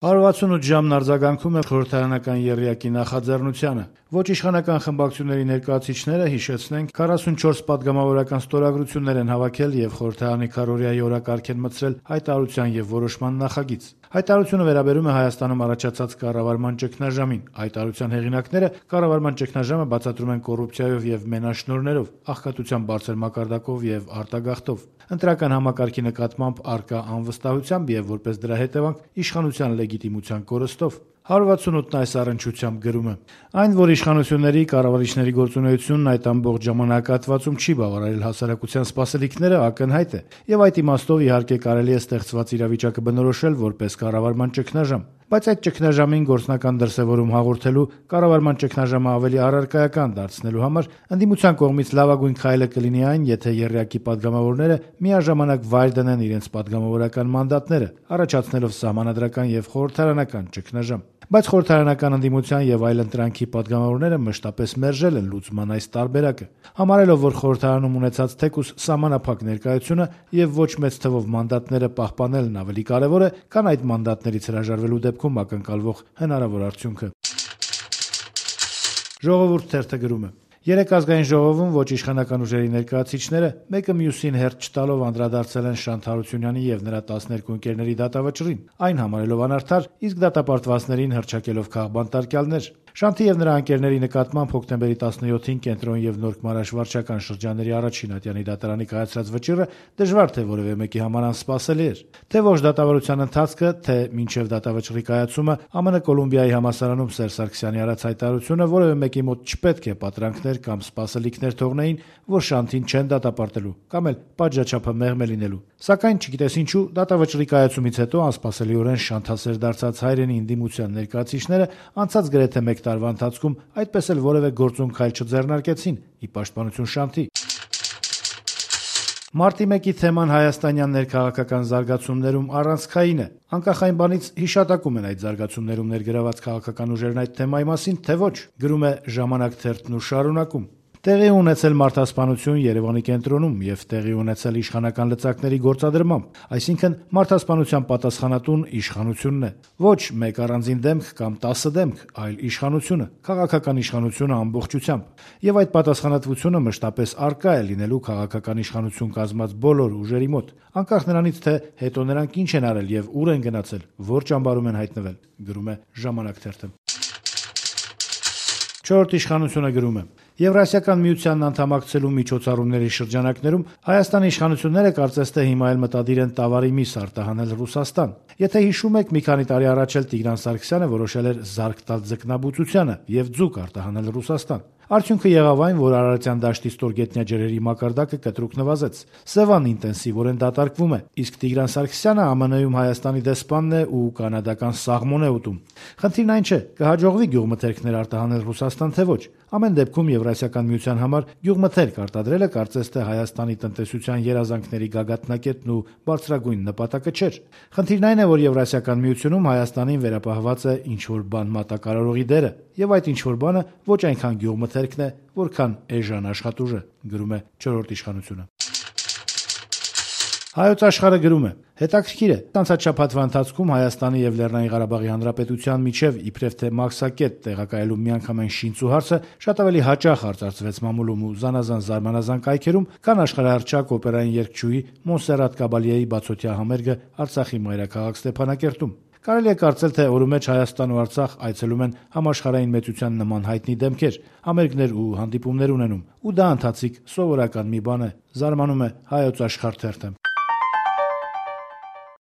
168 ժամն արձագանքում է խորհրդարանական եռյակի նախաձեռնությանը։ Ոչ իշխանական խմբակցությունների ներկայացուցիչները, հիշեցնենք, 44 պատգամավորական ստորագրություններ են հավաքել եւ խորհրդարանի քառօրյայի օրակարգ են մտցրել հայտարարության եւ որոշման նախագիծ։ Հայտարարությունը վերաբերում է Հայաստանում առաջացած կառավարման ճգնաժամին։ Հայտարարության հեղինակները կառավարման ճգնաժամը բացատրում են կոռուպցիայով եւ մենաշնորհներով, աղքատության բարձր մակարդակով եւ արտագաղթով, ընտրական համակարգի նկատմամբ առկա անվստահությամբ եւ որպես դրա հետևանք իշխանության լեգիտիմության կորստով։ 168-ն այս առնչությամբ գրում է. այն, որ իշխանությունների, կառավարիչների գործունեությունն այդ ամբողջ ժամանակահատվածում չի բավարարել հասարակության սպասելիքները, ակնհայտ է, եւ այդ իմաստով իհարկե կարելի է ստեղծված իրավիճակը բնորոշել որպես կառավարման ճգնաժամ, բայց այդ ճգնաժամին գործնական դրսևորում հաղորդելու, կառավարման ճգնաժամը ավելի առարկայական դարձնելու համար ընդդիմության կողմից լավագույն քայլը կլինի այն, եթե եռյակի պատգամավորները միաժամանակ վայր դնեն իրենց պատգամավորական մանդատները, առաջացնելով սահմանադրական եւ խորհրդարանական ճգնաժամ։ Բայց խորհրդարանական ընդդիմության եւ այլ ընտրանքի պատգամավորները մշտապես մերժել են լուծման այս տարբերակը, համարելով, որ խորհրդարանում ունեցած թեկուզ սահմանափակ ներկայությունը եւ ոչ մեծ թվով մանդատները պահպանելն ավելի կարեւոր է, քան այդ մանդատներից հրաժարվելու դեպքում ակնկալվող հնարավոր արդյունքը։ Ժողովուրդ թերթը գրում է. Երեք ազգային ժողովում ոչ իշխանական ուժերի ներկայացուցիչները մեկը մյուսին հերթ չտալով անդրադարձել են Շանթ Հարությունյանի եւ նրա 12 ընկերների դատավճռին, այն համարելով անարդար, իսկ դատապարտվածներին հռչակելով քաղբանտարկյալներ։ Շանթի եւ նրա ընկերների նկատմամբ հոկտեմբերի 17-ին Կենտրոն եւ Նորք Մարաշ վարչական շրջանների առաջին ատյանի դատարանի կայացրած վճիռը դժվար թե որևէ մեկի համար անսպասելի էր։ Թե ոչ դատավարության ընթացքը, թե մինչև դատավճռի կայացումը ԱՄՆ Կոլումբիայի համալսարանում Սերժ Սարգսյանի արած հայտարարությունը որևէ մեկի մոտ չպետք է պատրանքներ կամ սպասելիքներ թողնեին, որ Շանթին չեն դատապարտելու կամ էլ պատժաչափը մեղմ է լինելու։ Սակայն չգիտես ինչու դատավճռի կայացումից հետո անսպասելիորեն շանթասեր դարձած հայրենի ընդդիմության ներկայացուցիչները անցած գրեթե մեկ տարվա ընթացքում այդպես էլ որևէ գործուն քայլ չձեռնարկեցին ի պաշտպանություն Շանթի։ Մարտի 1-ի թեման հայաստանյան ներքաղաքական զարգացումներում առանցքային է։ Անկախ այն բանից հիշատակում են այդ զարգացումներում ներգրաված քաղաքական ուժերն այդ թեմայի մասին, թե ոչ, գրում է Ժամանակ թերթն ու շարունակում։ Տեղի ունեցել մարդասպանություն Երևանի կենտրոնում եւ տեղի ունեցել իշխանական լծակների գործադրմամբ, այսինքն մարդասպանության պատասխանատուն իշխանությունն է։ Ոչ մեկ առանձին դեմք կամ 10 դեմք, այլ իշխանությունը, քաղաքական իշխանությունը ամբողջությամբ։ Եվ այդ պատասխանատվությունը մշտապես առկա է լինելու քաղաքական իշխանություն կազմած բոլոր ուժերի մոտ, անկախ նրանից, թե հետո նրանք ինչ են արել եւ ուր են գնացել, որ ճամբարում են հայտնվել, գրում է Ժամանակ թերթը։ Չորրորդ իշխանությունը գրում է. Եվրասիական միությանն անդամակցելու միջոցառումների շրջանակներում Հայաստանի իշխանությունները կարծես թե հիմա էլ մտադիր են տավարի միս արտահանել Ռուսաստան։ Եթե հիշում եք, մի քանի տարի առաջ էլ Տիգրան Սարգսյանը որոշել էր զարկ տալ ձկնաբուծությանը եւ ձուկ արտահանել Ռուսաստան։ Արդյունքը եղավ այն, որ Արարատյան դաշտի ստորգետնյա ջրերի մակարդակը կտրուկ նվազեց։ Սևան ինտենսիվորեն դատարկվում է, իսկ Տիգրան Սարգսյանը ԱՄՆ-ում Հայաստանի դեսպանն է ու կանադական սաղմոն է ուտում։ Խնդիրն այն չէ, կհաջողվի գյուղմթերքներ արտահանել Ռուսաստան թե ոչ։ Ամեն դեպքում Եվրասիական միության համար գյուղմթերք արտադրելը կարծես թե Հայաստանի տնտեսության երազանքների գագաթնակետն ու բարձրագույն նպատակը չէր։ Խնդիրն այն է, որ Եվրասիական միությունում Հայաստանին վերապահված է ինչ-որ բան մատակարարողի դերը, եւ այդ ինչ-որ բանը ոչ այնքան գյուղմթերքն է, որքան էժան աշխատուժը, գրում է Չորրորդ իշխանությունը։ Հայոց աշխարհը գրում է. հետաքրքիր է, անցած շաբաթվա ընթացքում Հայաստանի եւ Լեռնային Ղարաբաղի Հանրապետության միջև իբրև թե մաքսակետ տեղակայելու միանգամայն շինծու հարցը շատ ավելի հաճախ արծարծվեց մամուլում ու զանազան զարմանազան կայքերում, քան աշխարհահռչակ օպերային երգչուհի Մոնսերատ Կաբալիեի բացօթյա համերգը Արցախի մայրաքաղաք Ստեփանակերտում։ Կարելի է կարծել, թե օրու մեջ Հայաստան ու Արցախ այցելում են համաշխարհային մեծության նման հայտնի դեմքեր, համերգներ ու հանդիպումներ ունենում, ու դա ընթացիկ սովորական մի բան է, զարմանում է Հայոց աշխարհ թերթը։